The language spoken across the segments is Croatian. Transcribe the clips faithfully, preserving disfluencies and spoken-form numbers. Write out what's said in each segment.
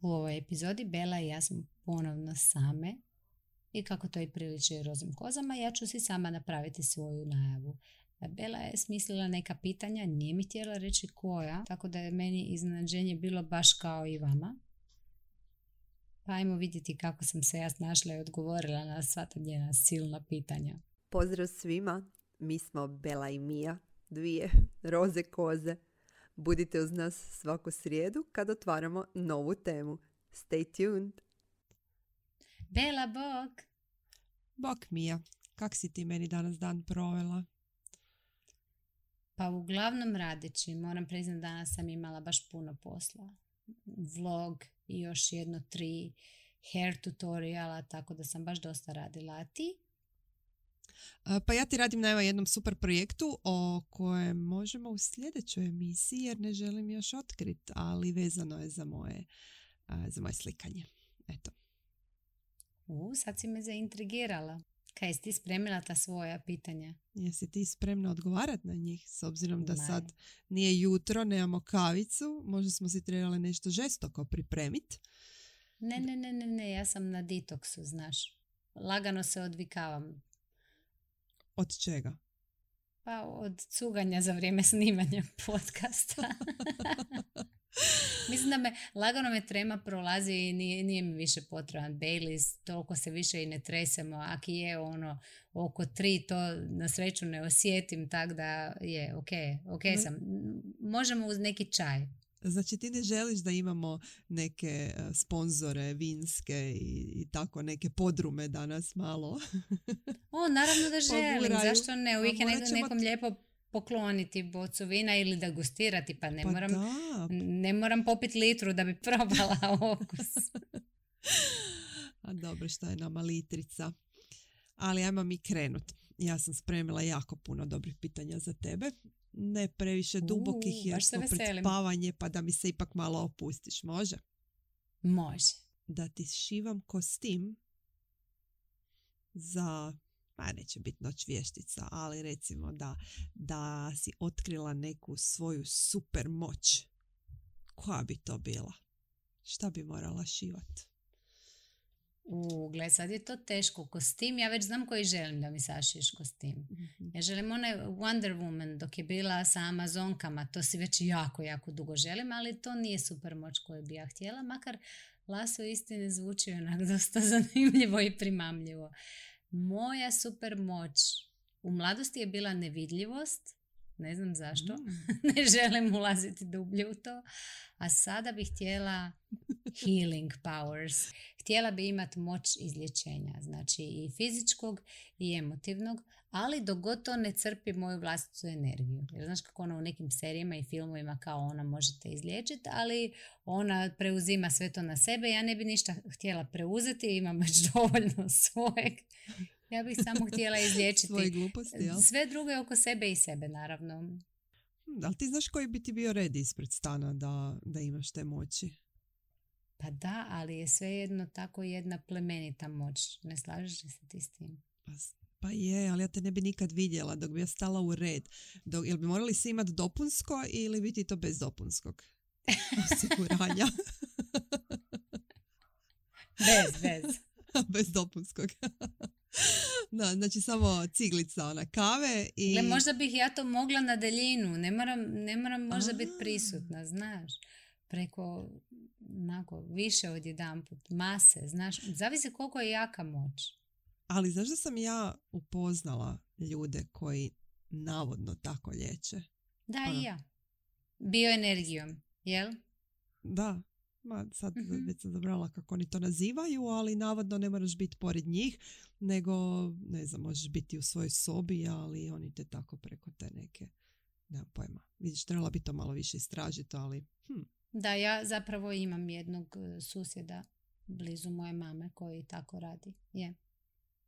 U ovoj epizodi Bela i ja smo ponovno same i kako to i priliči rozim kozama, ja ću si sama napraviti svoju najavu. Bela je smislila neka pitanja, nije mi htjela reći koja, tako da je meni iznenađenje bilo baš kao i vama. Pa ajmo vidjeti kako sam se ja snašla i odgovorila na sva ta njena silna pitanja. Pozdrav svima, mi smo Bela i Mija, dvije roze koze. Budite uz nas svaku srijedu kad otvaramo novu temu. Stay tuned! Bela, bok! Bok, Mija, kak si ti meni danas dan provela? Pa uglavnom radeći, moram priznati danas sam imala baš puno posla. Vlog i još jedno tri hair tutoriala, tako da sam baš dosta radila. A ti? Pa ja ti radim na evo jednom super projektu o kojem možemo u sljedećoj emisiji jer ne želim još otkriti, ali vezano je za moje, za moje slikanje. Eto. U, sad si me zaintrigirala. Kaj, jesi ti spremila ta svoja pitanja? Jesi ti spremna odgovarati na njih? S obzirom da sad nije jutro, nemamo kavicu, možda smo si trebali nešto žestoko pripremiti. Ne, ne, ne, ne, ne, ja sam na detoksu, znaš. Lagano se odvikavam. Od čega? Pa od cuganja za vrijeme snimanja podcasta. Mislim da me, lagano me trema prolazi i nije, nije mi više potreban Baileys, toliko se više i ne tresemo, aki je ono oko tri, to na sreću ne osjetim, tako da je ok, ok ne. sam. Možemo uz neki čaj. Znači ti ne želiš da imamo neke sponzore vinske i, i tako neke podrume danas malo? O, naravno da želim, Poguraju. zašto ne, uvijek je ćemo... nekom lijepo pokloniti bocu vina ili da gustirati, pa ne, pa moram, da. ne moram popiti litru da bi probala okus. A dobro, šta je nama litrica. Ali ajmo mi krenut. Ja sam spremila jako puno dobrih pitanja za tebe. Ne previše dubokih uh, jer smo pred spavanje, pa da mi se ipak malo opustiš. Može? Može. Da ti šivam kostim za, pa neće biti noć vještica, ali recimo da, da si otkrila neku svoju super moć. Koja bi to bila? Šta bi morala šivati? U, gle, sad je to teško. Kostim, ja već znam koji želim da mi sašiješ kostim. Mm-hmm. Ja želim onaj Wonder Woman dok je bila sa Amazonkama, to si već jako, jako dugo želim, ali to nije super moć koju bi ja htjela, makar Laso istine zvuči onak dosta zanimljivo i primamljivo. Moja super moć u mladosti je bila nevidljivost, ne znam zašto, mm. ne želim ulaziti dublje u to, a sada bih htjela healing powers. Htjela bi imati moć izlječenja, znači i fizičkog i emotivnog, ali dok god to ne crpi moju vlastitu energiju. Jer znaš kako ona u nekim serijama i filmovima kao ona možete izliječiti, ali ona preuzima sve to na sebe. Ja ne bi ništa htjela preuzeti, imam već dovoljno svojeg. Ja bih samo htjela izliječiti svoje gluposti, jel? Sve druge oko sebe i sebe, naravno. Da li ti znaš koji bi ti bio red ispred stana da, da imaš te moći? Pa da, ali je svejedno tako jedna plemenita moć. Ne slažeš li se ti s tim? Pa, pa je, ali ja te ne bi nikad vidjela dok bi ja stala u red. Dok, jel bi morali svi imati dopunsko ili bi ti to bez dopunskog osiguranja? Bez, bez. Bez dopunskog. Da, znači samo ciglica ona kave i... Gle, možda bih ja to mogla na daljinu. Ne moram, ne moram možda biti prisutna, znaš. Preko onako, više od jedan put, mase, znaš. Zavisi koliko je jaka moć. Ali znaš da sam ja upoznala ljude koji navodno tako liječe? Da, ono. I ja. Bioenergijom, jel? Da. Ma, sad uh-huh. već sam zabrala kako oni to nazivaju, ali navodno ne moraš biti pored njih, nego, ne znam, možeš biti u svojoj sobi, ali oni te tako preko te neke, nemam pojma. Vidiš, trebala bi to malo više istražiti, ali... Hm. Da, ja zapravo imam jednog susjeda blizu moje mame koji tako radi. Je.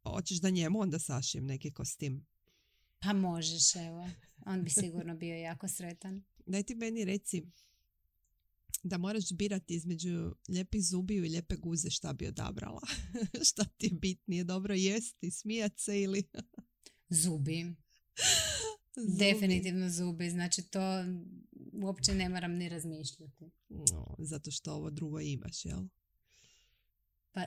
Hoćeš da njemu onda sašijem neki kostim? Pa možeš, evo. On bi sigurno bio jako sretan. Daj ti meni reci, da moraš birati između lijepih zubiju i lijepe guze, šta bi odabrala? Šta ti je bitnije, dobro jesti, smijat se ili... Zubi. Zubi. Definitivno zubi, znači to uopće ne moram ni razmišljati. No, zato što ovo drugo imaš, jel? Pa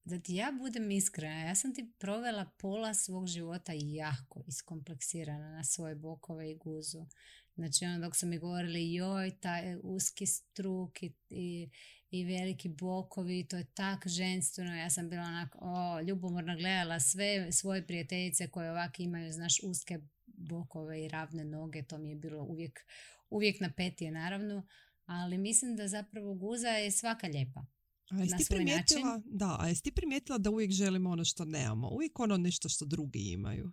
da ti ja budem iskrena, ja sam ti provela pola svog života jako iskompleksirana na svoje bokove i guzu. Znači ono dok su mi govorili joj, taj uski struk i, i, i veliki bokovi, to je tak ženstveno. Ja sam bila onako o, ljubomorno gledala sve svoje prijateljice koje ovak imaju, znaš, uske bokove i ravne noge. To mi je bilo uvijek, uvijek napetije naravno. Ali mislim da zapravo guza je svaka lijepa. A jesi ti primijetila, da, a jesi ti primijetila da uvijek želimo ono što nemamo? Uvijek ono nešto što drugi imaju.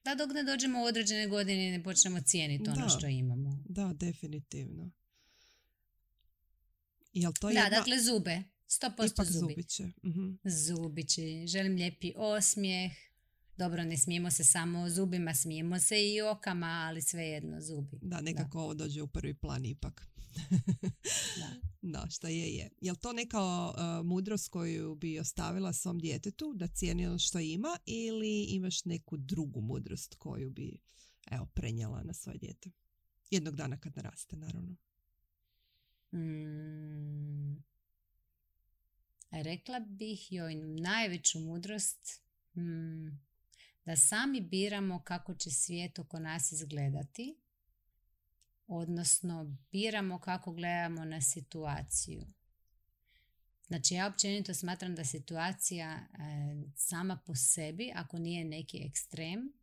Da, dok ne dođemo u određene godine i ne počnemo cijeniti ono da, što imamo. Da, definitivno. Jel to da, jedna... dakle zube. sto posto Ipak zubi. zubiće. Uh-huh. Zubići. Želim lijepi osmijeh. Dobro, ne smijemo se samo zubima, smijemo se i okama, ali svejedno zubi. Da, nekako da. Ovo dođe u prvi plan ipak. Da. Da, šta je, je. Jel to neka uh, mudrost koju bi ostavila svom djetetu, da cijeni ono što ima, ili imaš neku drugu mudrost koju bi, evo, prenijela na svoje dijete? Jednog dana kad naraste, naravno. Mm. Rekla bih joj najveću mudrost mm, da sami biramo kako će svijet oko nas izgledati, odnosno biramo kako gledamo na situaciju. Znači ja općenito smatram da situacija e, sama po sebi, ako nije neki ekstrem,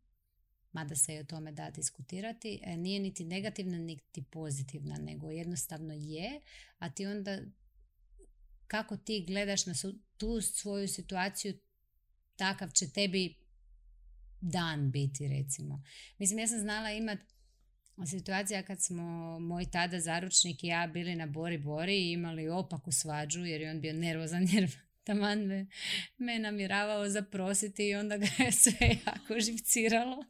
mada se i o tome da diskutirati, e, nije niti negativna niti pozitivna, nego jednostavno je, a ti onda kako ti gledaš na su, tu svoju situaciju, takav će tebi dan biti, recimo. Mislim, ja sam znala imati situacija kad smo moj tada zaručnik i ja bili na Bori Bori i imali opaku svađu jer je on bio nervozan jer taman me, me namjeravao zaprositi i onda ga je sve jako živciralo.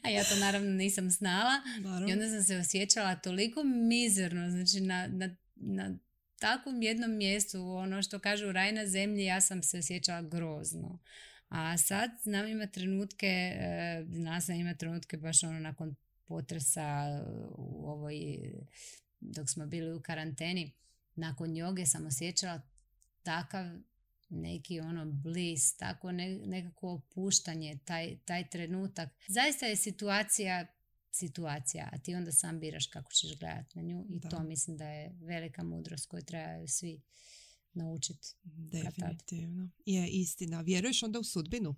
A ja to naravno nisam znala. Naravno. I onda sam se osjećala toliko mizerno, znači na, na, na takvom jednom mjestu, ono što kažu raj na zemlji, ja sam se osjećala grozno. A sad znam ima trenutke, znala sam ima trenutke baš ono nakon potresa u ovoj, dok smo bili u karanteni, nakon joge sam osjećala takav neki ono bliss, tako ne, nekako opuštanje, taj, taj trenutak. Zaista je situacija situacija, a ti onda sam biraš kako ćeš gledati na nju i da. To mislim da je velika mudrost koju trebaju svi naučiti. Definitivno. Je istina. Vjeruješ onda u sudbinu?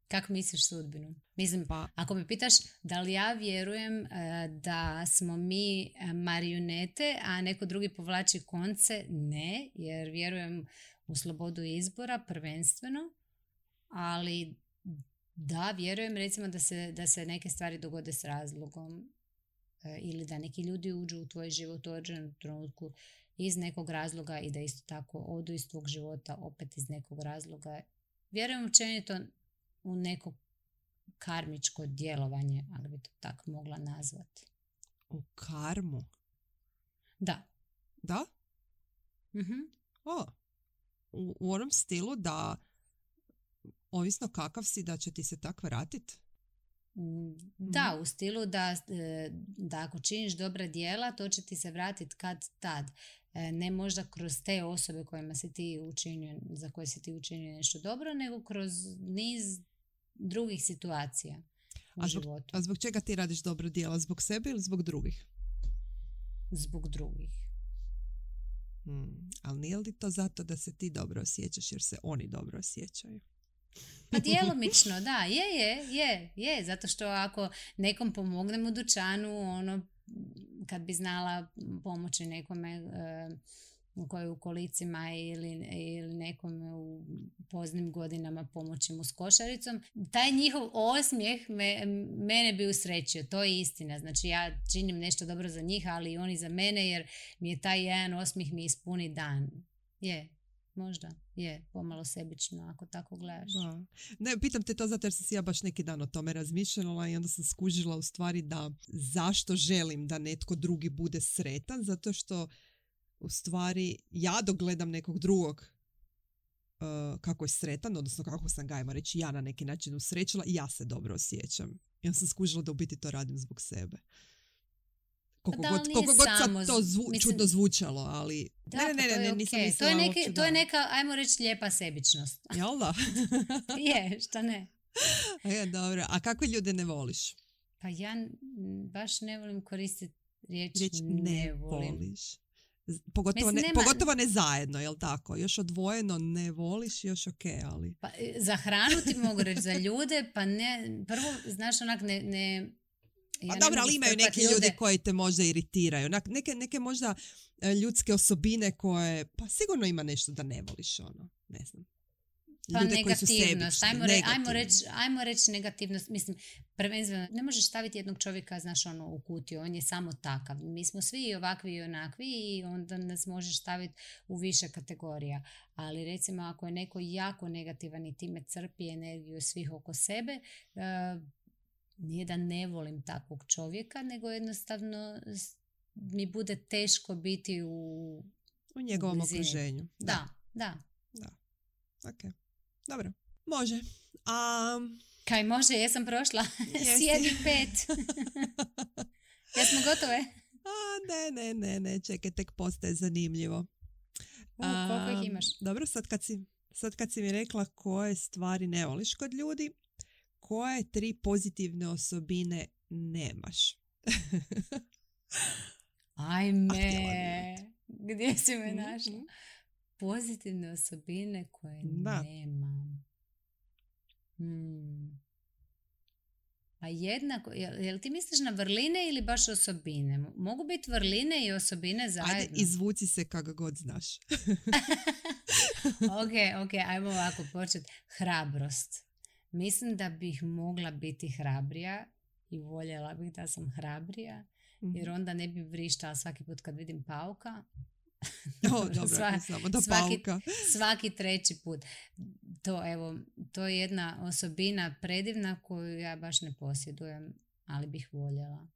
Kako misliš sudbinu? Mislim, pa. Ako me pitaš da li ja vjerujem uh, da smo mi marionete, a neko drugi povlači konce, ne, jer vjerujem u slobodu izbora prvenstveno, ali da, vjerujem recimo da se, da se neke stvari dogode s razlogom uh, ili da neki ljudi uđu u tvoj život u određenom trenutku iz nekog razloga i da isto tako odu iz tvog života opet iz nekog razloga. Vjerujem općenito u neko karmičko djelovanje, ali bi to tako mogla nazvati. U karmu? Da. Da? Mm-hmm. O, u, u onom stilu da ovisno kakav si da će ti se tak vratiti? Da, mm. u stilu da, da ako činiš dobra djela, to će ti se vratiti kad tad. Ne možda kroz te osobe kojima si ti učinio, za koje si ti učinio nešto dobro, nego kroz niz drugih situacija u a zbog, životu. A zbog čega ti radiš dobro djela? Zbog sebe ili zbog drugih? Zbog drugih. Hmm. Ali nije li to zato da se ti dobro osjećaš jer se oni dobro osjećaju? Pa djelomično, da, je, je, je, je, zato što ako nekom pomognem u dućanu, ono, kad bi znala pomoći nekome e, koji je u kolicima ili, ili nekome u poznim godinama pomoći mu s košaricom, taj njihov osmijeh me, mene bi usrećio, to je istina. Znači ja činim nešto dobro za njih, ali i oni za mene, jer mi je taj jedan osmijeh mi ispuni dan. Je. Možda je pomalo sebično ako tako gledaš. Da. Ne, pitam te to zato jer sam si ja baš neki dan o tome razmišljala i onda sam skužila u stvari da zašto želim da netko drugi bude sretan, zato što u stvari ja dok gledam nekog drugog uh, kako je sretan, odnosno kako sam ga, ajmo reći, ja na neki način usrećila, ja se dobro osjećam. I onda sam skužila da u biti to radim zbog sebe. Koliko da, god, koliko god samo, sad to zvu, mislim, čudno zvučalo, ali... Da, ne, ne, ne, pa to je ne, nisam okay. mislila to je, neki, uopće, to je da. neka, ajmo reći, lijepa sebičnost. Jel da? Je, šta ne? Je, dobro. A kakve ljude ne voliš? Pa ja n- baš ne volim koristiti riječ, Riječ ne, ne volim. voliš. Z- Pogotovo, Mislim, ne, nema- pogotovo ne zajedno, jel tako? Još odvojeno ne voliš, još ok, ali... Pa, e, za hranu ti mogu reći, za ljude, pa ne, prvo, znaš, onak ne... ne Pa ja ne dobro, mogu ali imaju strpat neki ljudi koji te možda iritiraju. Onak, neke, neke možda e, ljudske osobine koje, pa sigurno ima nešto da ne voliš, ono, ne znam. Pa Ljude koji su negativnost, sebični, ajmo, re, ajmo negativni. reći ajmo reći negativnost, mislim, prvenstveno, ne možeš staviti jednog čovjeka, znaš, ono, u kutiju, on je samo takav. Mi smo svi i ovakvi i onakvi i onda nas možeš staviti u više kategorija. Ali recimo, ako je neko jako negativan i time crpi energiju svih oko sebe, uh, nije da ne volim takvog čovjeka, nego jednostavno s- mi bude teško biti u... U njegovom blizini. okruženju. Da, da. Ok, dobro. Može. A, Kaj može, jesam prošla. Jesi. Sjedi pet. Jesmo gotove? a ne, ne, ne, ne, čekaj, tek postaje zanimljivo. U, koliko ih imaš? Dobro, sad kad, si, sad kad si mi rekla koje stvari ne voliš kod ljudi, koje tri pozitivne osobine nemaš? A htjela bi Ajme. Gdje si me Mhm. našla? Pozitivne osobine koje Da. nemam. Hmm. A jednako, jel, jel ti misliš na vrline ili baš osobine? Mogu biti vrline i osobine zajedno. Ajde, izvuci se kako god znaš. ok, ok, ajmo ovako početi. Hrabrost. Mislim da bih mogla biti hrabrija i voljela bih da sam hrabrija, jer onda ne bi vrištala svaki put kad vidim pauka. O, dobro, Sva- ako samo do svaki- pauka. Svaki treći put. To, evo, to je jedna osobina predivna koju ja baš ne posjedujem, ali bih voljela.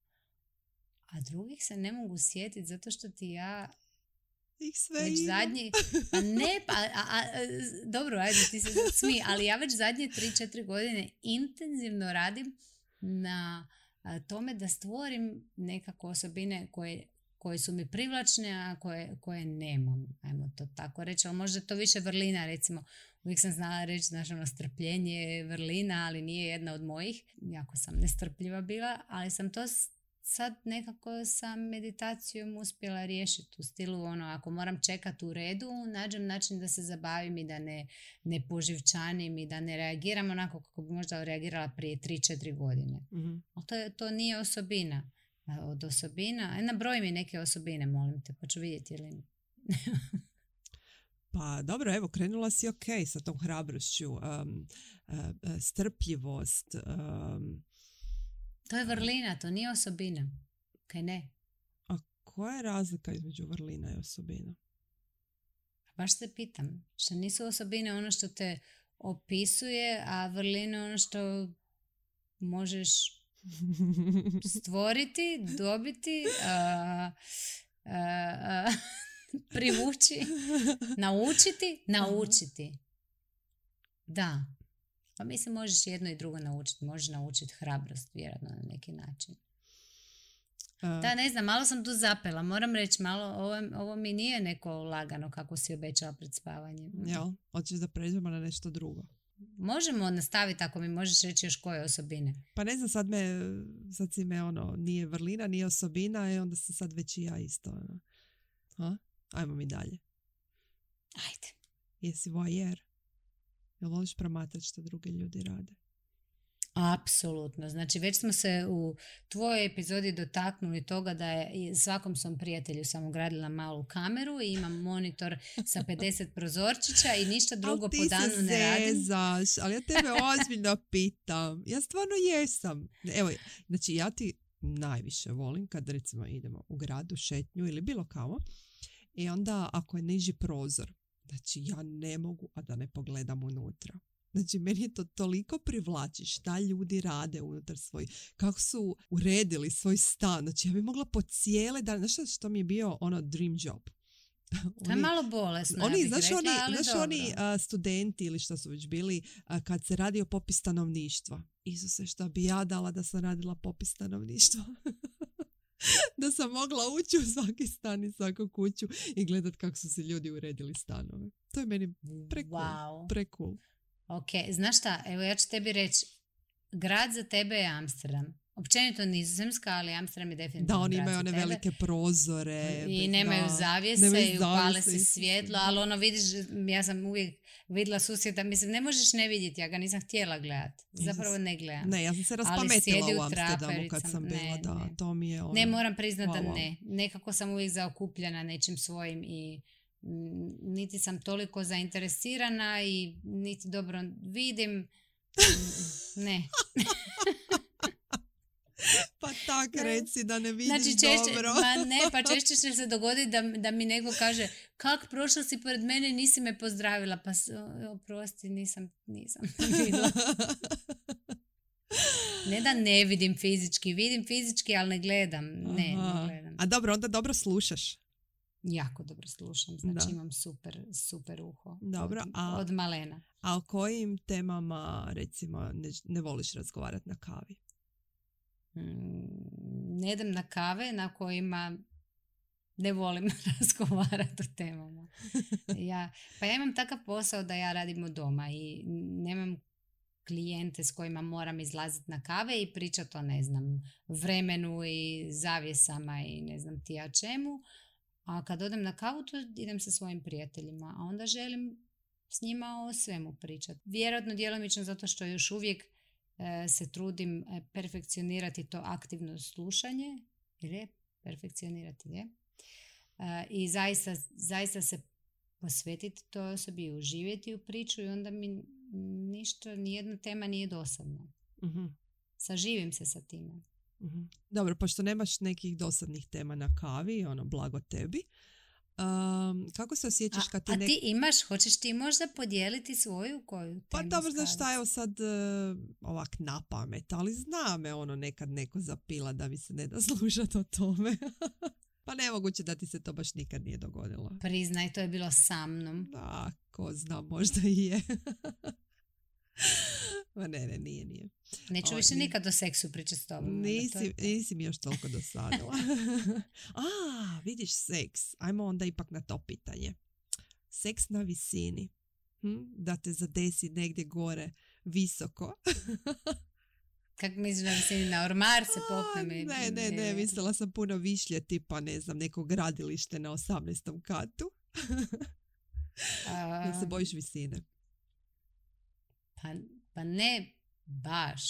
A drugih se ne mogu sjetiti zato što ti ja Ih sve već ima. zadnji... Pa ne, pa... A, a, dobro, ajde, ti se sad smij, ali ja već zadnje tri četiri godine intenzivno radim na a, tome da stvorim nekako osobine koje, koje su mi privlačne, a koje, koje nemam, ajmo to tako reći. Ali možda je to više vrlina, recimo. Uvijek sam znala reći, znaš, ono, strpljenje je vrlina, ali nije jedna od mojih. Jako sam nestrpljiva bila, ali sam to s- sad nekako sa meditacijom uspjela riješiti u stilu, ono, ako moram čekati u redu, nađem način da se zabavim i da ne, ne poživčanim i da ne reagiram onako kako bi možda reagirala prije tri četiri godine. Mhm. Ali to, je- to nije osobina. A od osobina, e, nabroj mi neke osobine, molim te, pa ću vidjeti ili... Pa dobro, evo, krenula si ok sa tom hrabrošću, um, uh, uh, strpljivost. Um, To je vrlina, to nije osobina. Kaj ne? a koja je razlika između vrlina i osobina? Baš se pitam. Što nisu osobine ono što te opisuje, a vrline ono što možeš stvoriti, dobiti, a, a, a, privući, naučiti, naučiti. Da. Pa mislim možeš jedno i drugo naučiti. Možeš naučiti hrabrost, vjerojatno na neki način. Uh, Da, ne znam, malo sam tu zapela. Moram reći, malo, ovo, ovo mi nije neko lagano kako si obećala pred spavanjem. Jel? Hoćeš da pređemo na nešto drugo? Možemo nastaviti ako mi možeš reći još koje osobine. Pa ne znam, sad me, sad si me ono, nije vrlina, nije osobina i onda se sad već i ja isto. Ono. Ha? Ajmo mi dalje. Ajde. Jesi voajer? Jel voliš promatrati što drugi ljudi rade? Apsolutno. Znači već smo se u tvojoj epizodi dotaknuli toga da je i svakom svom prijatelju sam ugradila malu kameru i imam monitor sa pedeset prozorčića i ništa drugo Ali po danu ti ne se radim. zezaš, ali ja tebe ozbiljno pitam. Ja stvarno jesam. Evo, znači ja ti najviše volim kad recimo idemo u gradu, šetnju ili bilo kamo i onda ako je niži prozor, znači ja ne mogu, a da ne pogledam unutra. Znači, meni je to toliko privlači šta ljudi rade unutar svoj, kako su uredili svoj stan. Znači, ja bi mogla po cijele dan, znaš što mi je bio ono dream job? To je malo bolesno, oni, ja bih znaš, rekla, oni, ali znaš dobro. oni a, studenti ili što su već bili, a, kad se radi o popis stanovništva. Isuse, šta bi ja dala da sam radila popis stanovništva? Da sam mogla ući u svaki stan i svaku kuću i gledat kako su se ljudi uredili stanove. To je meni prekul. Wow. Prekul. Ok, znaš šta, evo ja ću tebi reći, grad za tebe je Amsterdam. Općenito Nizozemska, ali Amsterdam je definitivno Da, oni grad imaju za one tebe. velike prozore. I bez- nemaju da, zavjese nemaju i upale zavjese se i- svjetlo, ali ono vidiš, ja sam uvijek vidjela susjeda, mislim ne možeš ne vidjeti, ja ga nisam htjela gledati, zapravo ne gledam. Ne, ja sam se Ali raspametila sjedi u u Amsterdamu kad trapericama. sam bila, Ne, da, ne. to mi je ono... Ne, moram priznati wow, da wow. ne. Nekako sam uvijek zaokupljena nečim svojim i mm, niti sam toliko zainteresirana i niti dobro vidim. Mm, Ne. Pa tak Ne. reci da ne vidiš Znači češće, dobro. ma ne, pa češće će se dogoditi da, da mi neko kaže kak prošla si pored mene i nisi me pozdravila, pa s- o- oprosti, nisam, nisam vidjela. Ne da ne vidim fizički, vidim fizički, ali ne gledam, ne, Aha. ne gledam. A dobro, onda dobro slušaš. Jako dobro slušam, znači Da. imam super, super uho. Dobro, od, a- od malena. A o kojim temama, recimo, ne, ne voliš razgovarati na kavi? Mm, ne idem na kave na kojima ne volim razgovarati o temama. Ja, pa ja imam takav posao da ja radim od doma i nemam klijente s kojima moram izlaziti na kave i pričati o, ne znam, vremenu i zavjesama i ne znam ti ja čemu. A kad odem na kavu, to idem sa svojim prijateljima, a onda želim s njima o svemu pričati. Vjerojatno djelomično zato što još uvijek e, se trudim e, perfekcionirati to aktivno slušanje, jer je perfekcionirati, je? E, I zaista, zaista se posvetiti toj osobi i uživjeti u priču i onda mi ništa, nijedna tema nije dosadna. Mhm, Saživim se sa time. mhm. Dobro, pošto nemaš nekih dosadnih tema na kavi, ono, blago tebi. Um, kako se osjećaš A, kad ti a nek- ti imaš, hoćeš ti možda podijeliti svoju koju Pa temu dobro, znaš šta, staviš? evo sad uh, ovak na pamet, ali zna me ono nekad neko zapila da mi se ne da slušati o tome. Pa nemoguće da ti se to baš nikad nije dogodilo. Priznaj, to je bilo sa mnom. Da, ko zna, možda i je. Ma ne, ne, nije, nije. Neću Oj, više ni- nikad o seksu pričati s tobom. onda, to Nisi, je to. nisi mi još toliko dosadila. A, vidiš, seks. Ajmo onda ipak na to pitanje. Seks na visini. Hm? Da te zadesi negdje gore, visoko. Kak misliš da visini na ormar se popnem? i- Ne, ne, ne, mislila sam puno višlje, tipa, ne znam, neko gradilište na osamnaestom katu. A, Jel se bojiš visine? pa, pa ne baš.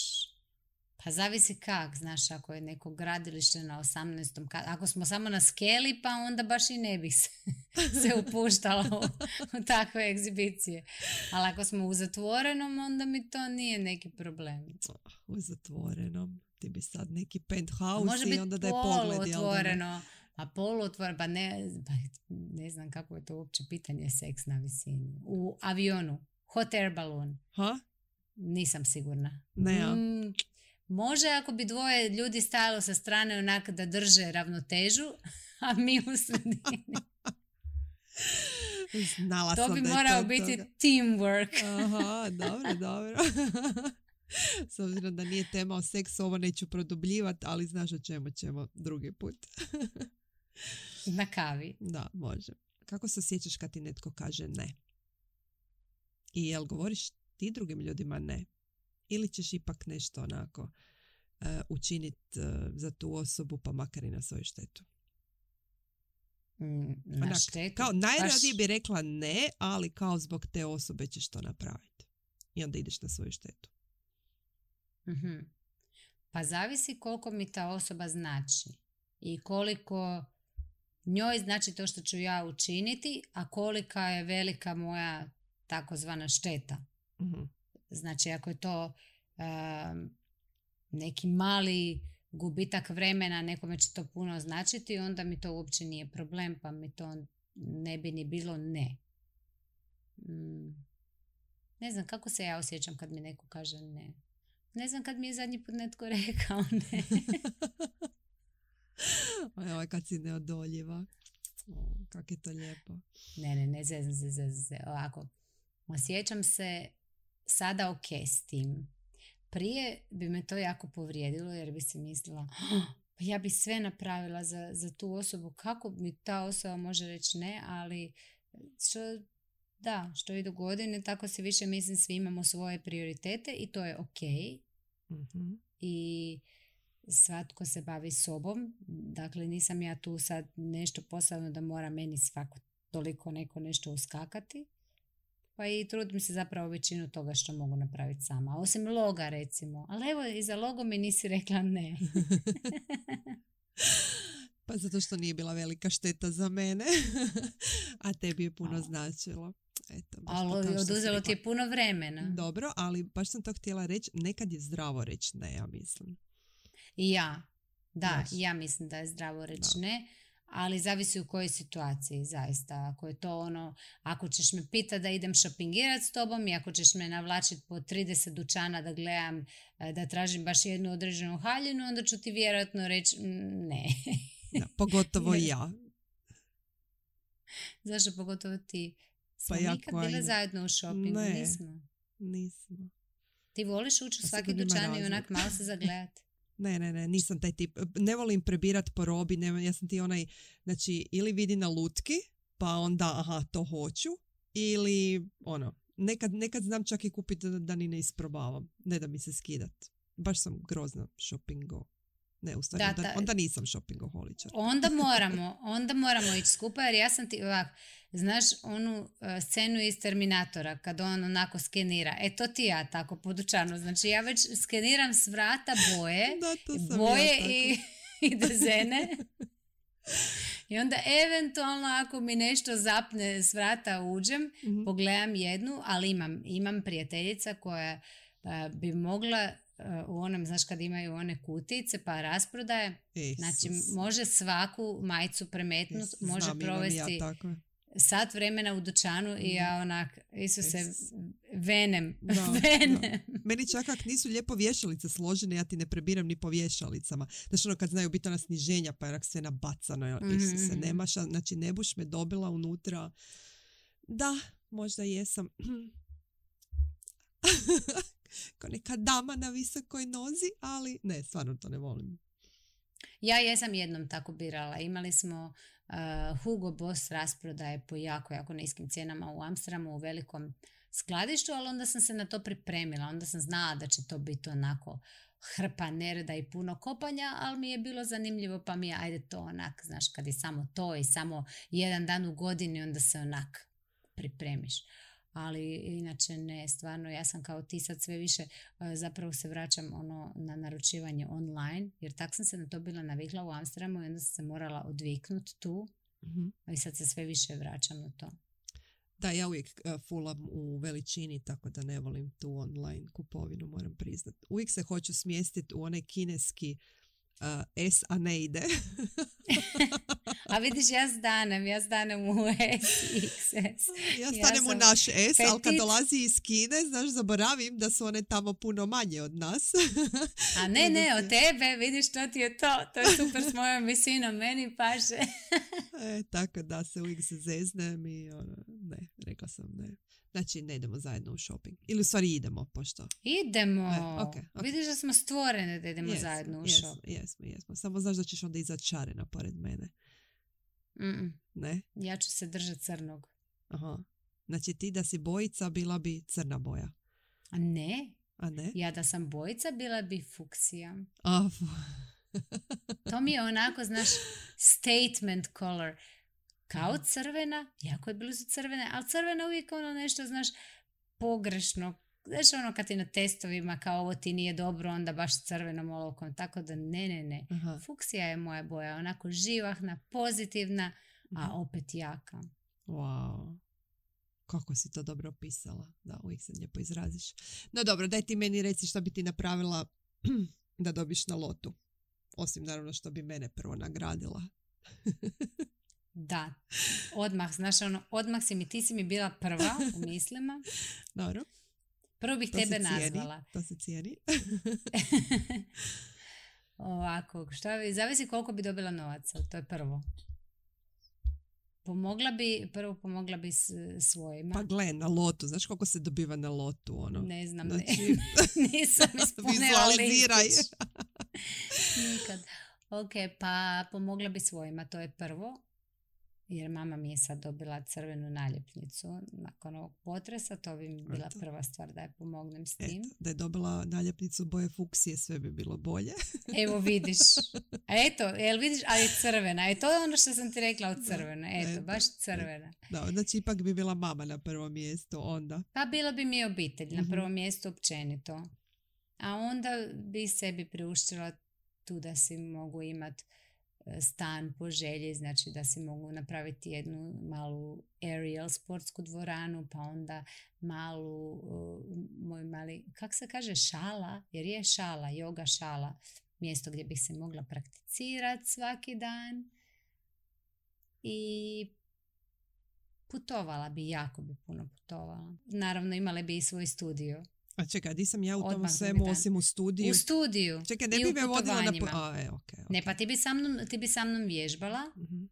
Pa zavisi kak, znaš, ako je neko gradilište na osamnaestom katu. Ako smo samo na skeli, pa onda baš i ne bih se, se upuštala u, u takve egzibicije. Ali ako smo u zatvorenom, onda mi to nije neki problem. U zatvorenom. Ti bi sad neki A penthouse može i biti onda da je pogled. jel da ne? poluotvoreno. A poluotvoreno, pa ne, pa ne znam kako je to uopće pitanje seks na visini. U avionu, hot air balloon, Ha? nisam sigurna. Ne, ja. Mm, može ako bi dvoje ljudi stajalo sa strane onak da drže ravnotežu, a mi u sredini. Znala To sam bi da je morao to biti toga. teamwork. Aha, dobro, dobro. S obzirom da nije tema o seksu, ovo neću produbljivati, ali znaš o čemu ćemo drugi put. Na kavi. Da, može. Kako se osjećaš kad ti netko kaže ne? I jel govoriš ti drugim ljudima ne? Ili ćeš ipak nešto onako uh, učiniti uh, za tu osobu, pa makar i na svoju štetu? Mm, na Onak, štetu. Kao najradije Baš- bi rekla ne, ali kao zbog te osobe ćeš to napraviti. I onda ideš na svoju štetu. Mhm. Pa zavisi koliko mi ta osoba znači i koliko njoj znači to što ću ja učiniti, a kolika je velika moja takozvana šteta. Mhm. Znači ako je to um, neki mali gubitak vremena, nekome će to puno značiti, onda mi to uopće nije problem, pa mi to ne bi ni bilo ne. Mm. Ne znam kako se ja osjećam kad mi neko kaže ne. Ne znam kad mi je zadnji put netko rekao ne. Ovo kad si neodoljiva. O, kako je to lijepo. Ne, ne, ne, zezam se, zezam se. Ovako, osjećam se sada ok s tim. Prije bi me to jako povrijedilo jer bi se mislila pa ja bi sve napravila za, za tu osobu. Kako mi ta osoba može reći ne, ali što, da, što idu godine, tako se više mislim svi imamo svoje prioritete i to je ok. Mm-hmm. I svatko se bavi sobom. Dakle, nisam ja tu sad nešto posebno da mora meni svako toliko neko nešto uskakati. Pa i trudim se zapravo većinu toga što mogu napraviti sama. Osim loga, recimo. Ali evo, i za logo mi nisi rekla ne. Pa zato što nije bila velika šteta za mene. A tebi je puno značilo. Eto, ali oduzelo ti je puno vremena. Dobro, ali baš sam to htjela reći. Nekad je zdravo reći ne, ja mislim. I ja. Da, Baš. ja mislim da je zdravo reći ne. Ali zavisi u kojoj situaciji, zaista. Ako je to ono, ako ćeš me pitati da idem šopingirati s tobom i ako ćeš me navlačiti po trideset dućana da gledam, da tražim baš jednu određenu haljinu, onda ću ti vjerojatno reći ne. Da, pogotovo ja. Zašto pogotovo ti? Smo Pa ja nikad koja bile im... zajedno u šopingu, ne, nismo. Nismo. Ti voliš ući u A svaki sigurno ima dućan i razlog. onak malo se zagledati? Ne, ne, ne, nisam taj tip. Ne volim prebirat po robi, ne, ja sam ti onaj, znači, ili vidi na lutki, pa onda, aha, to hoću, ili, ono, nekad, nekad znam čak i kupiti da, da ni ne isprobavam, ne da mi se skidat. Baš sam grozna shoppingo. Ne, u stvari, Da, onda, ta- onda nisam shoppingoholičar. Onda moramo, onda moramo ići skupa jer ja sam ti ovak, znaš onu uh, scenu iz Terminatora kad on onako skenira, e to ti ja tako po dućanu, znači ja već skeniram s vrata boje, Da, to sam boje ja tako. i, i dezene i onda eventualno ako mi nešto zapne s vrata uđem, Mhm. pogledam jednu, ali imam, imam prijateljica koja uh, bi mogla uh, u onom, znaš kad imaju one kutice pa rasprodaje, znači Isus. može svaku majicu premetnut, Isus, može znam, imam i provesti ja tako. sat vremena u dućanu i ja onak, Isuse, Isus. venem, Da, venem. da. Meni čak ak nisu lijepo vješalice složene, ja ti ne prebiram ni po vješalicama. Znači ono kad znaju biti ona sniženja, pa je onak sve nabacano. Mhm, Isuse, mhm. nema ša, znači ne buš me dobila unutra. Da, možda jesam. Ko neka dama na visokoj nozi, ali ne, stvarno to ne volim. Ja jesam jednom tako birala. Imali smo uh, Hugo Boss rasprodaje po jako, jako niskim cijenama u Amsterdamu u velikom skladištu, ali onda sam se na to pripremila. Onda sam znala da će to biti onako hrpa nereda i puno kopanja, ali mi je bilo zanimljivo pa mi je, ajde to onak, znaš, kad je samo to i samo jedan dan u godini, onda se onak pripremiš. Ali inače ne, stvarno ja sam kao ti sad sve više uh, zapravo se vraćam ono na naručivanje online, jer tak sam se na to bila navikla u Amsterdamu i onda sam se morala odviknuti tu, Mhm. i sad se sve više vraćam na to. Da, ja uvijek uh, fulam u veličini, tako da ne volim tu online kupovinu, moram priznat. Uvijek se hoću smjestiti u onaj kineski uh, S, a ne ide. A vidiš, ja stanem, ja stanem u S, X S. Ja stanem sam u naš S, ali kad petit. dolazi iz Kine, znaš, zaboravim da su one tamo puno manje od nas. A ne, ne, od tebe, vidiš, to ti je to, to je super s mojom visinom, meni paše. E, tako da se uvijek se zeznem i ono, ne, rekla sam ne. Znači, ne idemo zajedno u shopping. Ili u stvari idemo, pošto. Idemo. E, okay, okay. Vidiš da smo stvorene da idemo Jesmo, zajedno u jesmo, shop. Jesmo, jesmo. Samo znaš da ćeš onda izaći šarena pored mene. Mm-mm. Ne? Ja ću se držati crnog. Aha. Znači ti da si bojica, bila bi crna boja. A ne, A ne? ja da sam bojica, bila bi fuksija. A, To mi je onako, znaš, statement color. Kao crvena, jako je blizu crvene, ali crvena uvijek ono nešto, znaš, pogrešno. Znaš, ono kad ti na testovima kao ovo ti nije dobro, onda baš crvenom olovkom. Tako da ne, ne, ne. Aha. Fuksija je moja boja, onako živahna, pozitivna, a opet jaka. Wow. Kako si to dobro opisala. Da, uvijek se lijepo izraziš. No dobro, daj ti meni reci šta bi ti napravila da dobiš na lotu. Osim naravno što bi mene prvo nagradila. Da, odmah, znaš, ono, odmah si mi, ti si mi bila prva u mislima. Dobro. Prvo bih To tebe se cijeni, nazvala. To se cijeni. Ovako, šta bi, zavisi koliko bi dobila novaca, to je prvo. pomogla bi, prvo pomogla bi s, svojima. Pa gle, na lotu. Znaš koliko se dobiva na lotu? Ono? Ne znam, znači... ne. Nisam ispunila Vizualiziraj. listić. Nikad. Ok, pa pomogla bi svojima, to je prvo. Jer mama mi je sad dobila crvenu naljepnicu nakon ovog potresa, to bi mi bila Eto. prva stvar da je pomognem s tim. Eto, da je dobila naljepnicu boje fuksije, sve bi bilo bolje. Evo vidiš. A eto, jel vidiš, ali crvena. E, to je ono što sam ti rekla od crvena. Eto, eto. baš crvena. Da, znači ipak bi bila mama na prvom mjestu onda. Pa bilo bi mi obitelj na Mhm. prvom mjestu općenito. A onda bi sebi priuštila tu da si mogu imati stan po želji, znači da si mogu napraviti jednu malu aerial sportsku dvoranu, pa onda malu, uh, moj mali, kak se kaže, šala, jer je šala, yoga šala, mjesto gdje bih se mogla prakticirati svaki dan i putovala bi, jako bi puno putovala. Naravno imala bi i svoj studio. A čekaj, di sam ja u tom Odmah svemu drugi dan. osim u studiju? U studiju. Čekaj, ne i bi u me vodila na... putovanjima. A, e, okay, okay. Ne, pa ti bi sa mnom, ti bi sa mnom vježbala Mhm.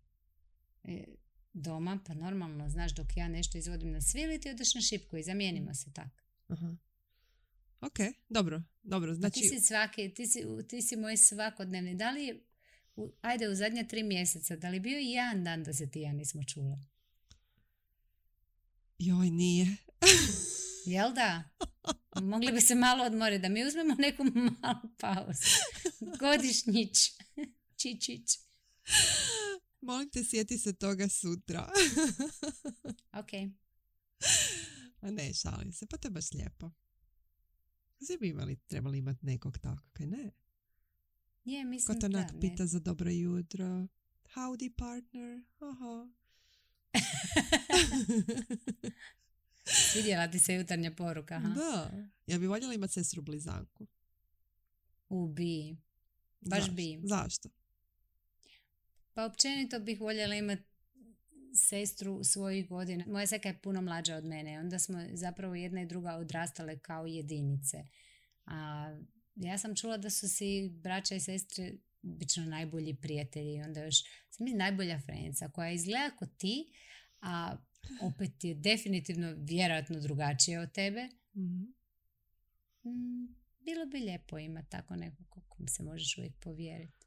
e, doma, pa normalno, znaš, dok ja nešto izvodim na svili, ti odeš na šipku i zamijenimo se tako. Aha. Ok, dobro, dobro. Znači, Znači, ti si svaki, ti si, ti si moj svakodnevni. Da li je, u, ajde, u zadnja tri mjeseca, da li bio i jedan dan da se ti i ja nismo čule? joj, nije. Jel da? Mogli bi se malo odmoriti, da mi uzmemo neku malu pauzu. Godišnjić. Čičić. Molim te, sjeti se toga sutra. Ok. A ne, šalim se, pa to je baš lijepo. Svi bi imali, trebali imati nekog takvog, kaj ne? Je, Ko mislim te da. onak Ne. pita za dobro jutro. Howdy partner. Aha. Svidjela ti se jutarnja poruka, aha? Da. Ja bi voljela imati sestru blizanku. U bi. Baš Zašto? bi. Zašto? Pa općenito bih voljela imati sestru svojih godina. Moja seka je puno mlađa od mene. Onda smo zapravo jedna i druga odrastale kao jedinice. A ja sam čula da su si braća i sestre obično najbolji prijatelji. I onda još sam mi najbolja frenica koja izgleda kao ti, a opet je definitivno vjerojatno drugačije od tebe. Mhm. Mm, bilo bi lijepo imati tako nekog kom se možeš uvijek povjeriti.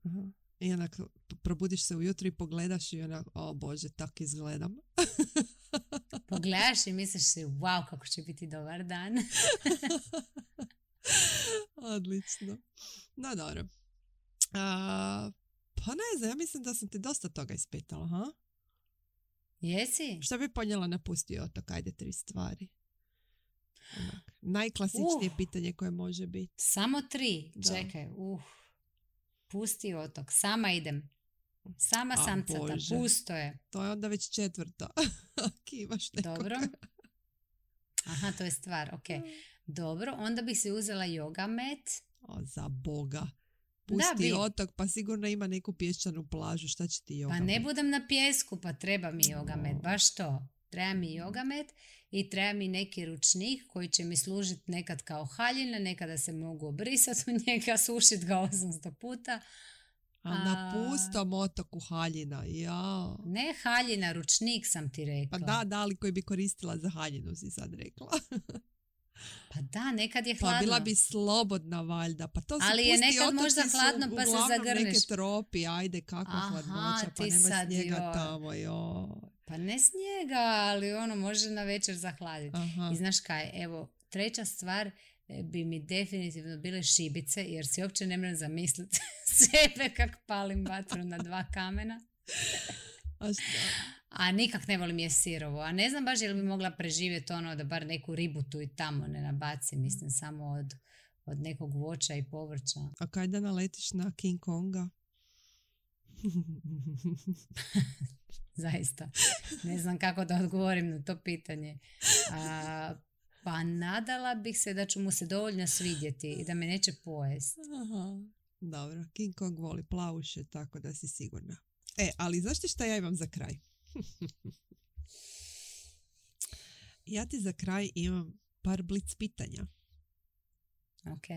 Aha. I onak probudiš se ujutro i pogledaš i onak, o Bože, tak izgledam. Pogledaš i misliš si, wow, kako će biti dobar dan. Odlično. No, dobro. A, pa ne znam, ja mislim da sam ti dosta toga ispitala, ha? Jesi? Što bi ponijela napustio otok? Ajde, tri stvari. Onak, najklasičnije Uh. pitanje koje može biti. Samo tri. Da. Čekaj, uh. Pusti otok. Sama idem. Sama A, samcata. Bože. Pusto je. To je onda već četvrta. Kivaš nekoga. Dobro. Aha, to je stvar. Ok. Dobro, onda bih si uzela yoga mat. O, za Boga. Pusti bi. otok, pa sigurno ima neku pješčanu plažu. Šta će ti yoga Pa ne mat? budem na pjesku, pa treba mi yoga mat. O. Baš to. Treba mi yoga mat i treba mi neki ručnik koji će mi služiti nekad kao haljina, nekada se mogu obrisati u njega, sušiti ga osamsto puta. A na pustom otoku haljina, ja. Ne haljina, ručnik sam ti rekla. Pa da, da, ali koji bi koristila za haljinu, si sad rekla. Pa da, nekad je Pa hladno. bila bi slobodna valjda. Pa to su Ali je pusti nekad otoci možda su hladno, pa se uglavnom zagrneš. neke tropi, ajde, kakva Aha, hladnoća, pa ti nema sad, snijega joj. tamo, joj. Pa ne snijega, ali ono može na večer zahladiti. Aha. I znaš kaj, evo, treća stvar e, bi mi definitivno bile šibice, jer si uopće ne moram zamisliti sebe kak palim vatru na dva kamena. A šta? A nikak ne volim je sirovo. A ne znam baš je li bi mogla preživjeti ono da bar neku ribu tu i tamo ne nabaci, mislim samo od, od nekog voća i povrća. A kaj da naletiš na King Konga? Zaista. Ne znam kako da odgovorim na to pitanje. A, pa nadala bih se da ću mu se dovoljno svidjeti i da me neće pojesti. Aha. Dobro, King Kong voli plavuše, tako da si sigurna. E, ali znaš ti šta ja imam za kraj? Ja ti za kraj imam par blic pitanja Ok.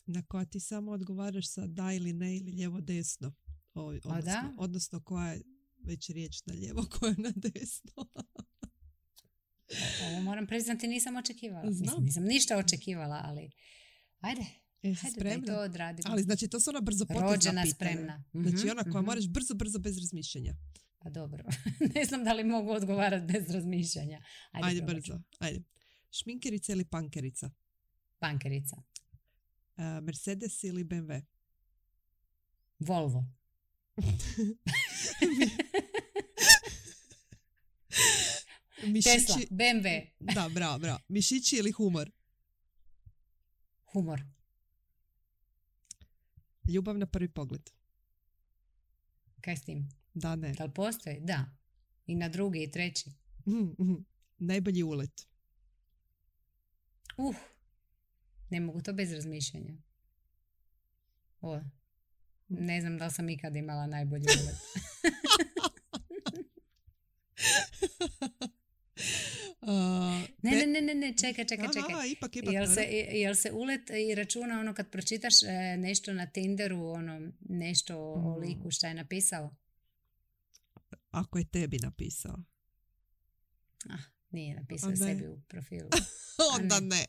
na koja ti samo odgovaraš sa da ili ne ili lijevo desno. O, odnosno, da? odnosno koja je već riječ na lijevo koja na desno. Ovo moram priznati, nisam očekivala. Znam. Mislim, nisam ništa očekivala, ali ajde. Jesi Hajde da i spremna? to odradimo. Ali znači to su ona brzo potezna Rođena pitanja. spremna. Znači Mhm, ona koja mhm. moraš brzo, brzo, bez razmišljanja. Pa dobro. Ne znam da li mogu odgovarati bez razmišljanja. Ajde, Ajde probat ću. brzo. Ajde. Šminkerica ili pankerica? Pankerica. Uh, Mercedes ili B M W? Volvo. Tesla. Mišići... B M W. Da, bravo, bravo. Mišići ili humor? Humor. Ljubav na prvi pogled? Kaj s tim? Da, ne. Da li postoji? Da. I na drugi i treći. Mm, mm. Najbolji ulet? Uh. Ne mogu to bez razmišljanja. O. Ne znam da li sam ikad imala najbolji ulet. Uh, Ne, be- ne, ne, ne, ne, čekaj, čekaj, čekaj. Aha, ipak, ipak. Jel se, dobro. jel se ulet i računa ono kad pročitaš e, nešto na Tinderu, ono, nešto o, o Mm. liku šta je napisao? Ako je tebi napisao. Ah, nije napisao A ne. sebi u profilu. Onda ne. ne.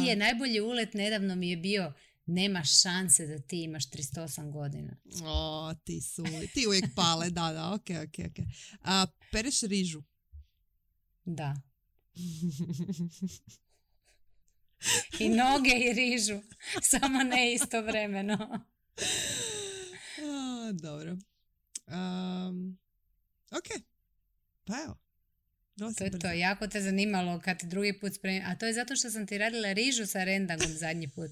Je, je, najbolji ulet nedavno mi je bio nema šanse da ti imaš trideset osam godina. O, ti su, ti uvijek pale, da, da, ok, ok, ok. A, pereš rižu? Da. I noge i rižu. Samo ne istovremeno. A, dobro. Um, ok. Pa evo. Dosta To je brzo. to. Jako te zanimalo kad ti drugi put spremim. A to je zato što sam ti radila rižu sa rendangom zadnji put.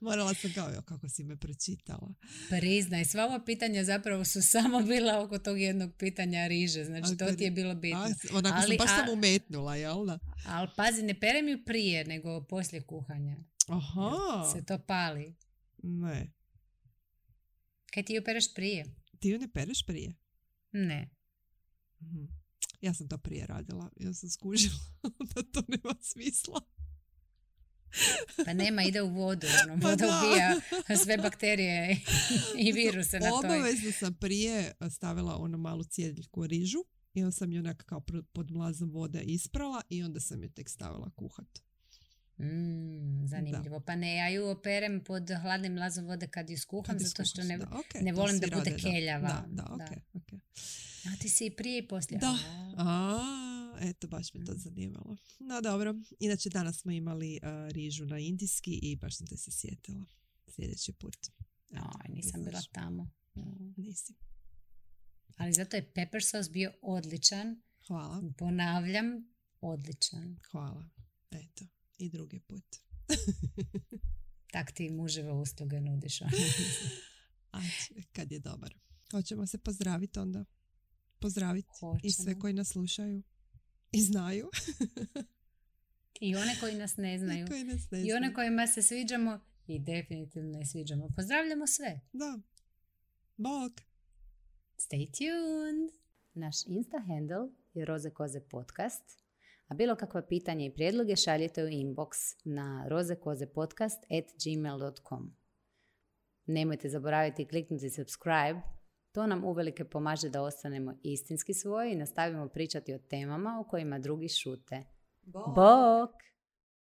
Morala sam kao, "Jo, kako si me pročitala." Priznaj, sva ova pitanja zapravo su samo bila oko tog jednog pitanja riže. Znači, to Oko ti je bilo bitno. A, onako Ali, sam baš a- sam umetnula, jel da? Ali pazi, ne perem ju prije, nego poslije kuhanja. Aha. Se to pali. Ne. Kaj ti ju pereš prije? Ti ju ne pereš prije? Ne. Mhm. Ja sam to prije radila. Ja sam skužila da to nema smisla. Pa nema, ide u vodu. Ono, Pa voda da. ubija sve bakterije i viruse na toj. Obavezno sam prije stavila onu malu cijeljku rižu i onda sam ju onak kao pr- pod mlazom vode isprala i onda sam ju tek stavila kuhat. Mm, zanimljivo. Pa ne, ja ju operem pod hladnim mlazom vode kad ju skuham, Kad je zato što skuhaš, ne, da, ok, ne to volim svi da bude rade, da. keljava. Da, da, ok, Da. ok. A ti si i prije i poslije. Da. A. A, eto, baš me to zanimalo. No, dobro. Inače, danas smo imali uh, rižu na indijski i baš sam te se sjetila. Sljedeći put. Eto, Aj, nisam da bila znaš. tamo. Mm. Nisi. Ali zato je pepper sauce bio odličan. Hvala. Ponavljam, odličan. Hvala. Eto, i drugi put. Tak ti muževe usluge nudiš. Ajde, kad je dobar. Hoćemo se pozdraviti onda. Pozdraviti i Hoćemo. sve koji nas slušaju i znaju. I one koji nas ne znaju. I koji nas ne I znaju. one kojima se sviđamo i definitivno ne sviđamo. Pozdravljamo sve. Da. Bog. Stay tuned! Naš Insta handle je Roze Koze podcast, a bilo kakva pitanja i prijedloge šaljite u inbox na rozekozepodcast at gmail dot com. Nemojte zaboraviti kliknuti subscribe, to nam uvelike pomaže da ostanemo istinski svoji i nastavimo pričati o temama o kojima drugi šute. Bog!